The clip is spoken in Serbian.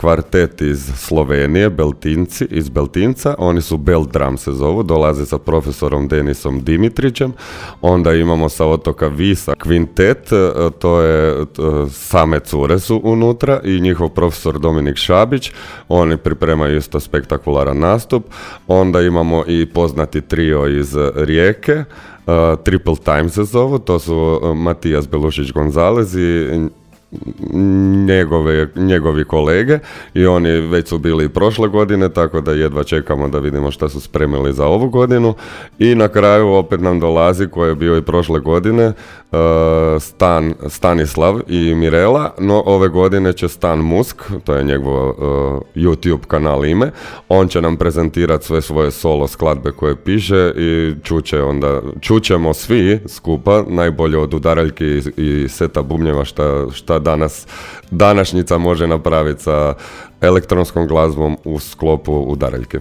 kvartet iz Slovenije, Beltinci, iz Beltinca, oni su Belt Drum se zovu, dolaze sa profesorom Denisom Dimitrićem. Onda imamo sa otoka Visa kvintet, to je same cure su unutra i njihov profesor Dominik Šabić, oni pripremaju isto spektakularan nastup. Onda imamo i poznati trio iz Rijeke, Triple Time se zovu, to su Matijas Belušić-Gonzalez i njegovi kolege i oni već su bili i prošle godine, tako da jedva čekamo da vidimo šta su spremili za ovu godinu. I na kraju opet nam dolazi, koji je bio i prošle godine, Stanislav i Mirela, no ove godine će Stan Musk, to je njegov YouTube kanal ime, on će nam prezentirati sve svoje solo skladbe koje piše i čućemo svi skupa, najbolje od udaraljki i seta bubnjeva šta današnjica može napraviti sa elektronskom glazbom u sklopu udaraljke.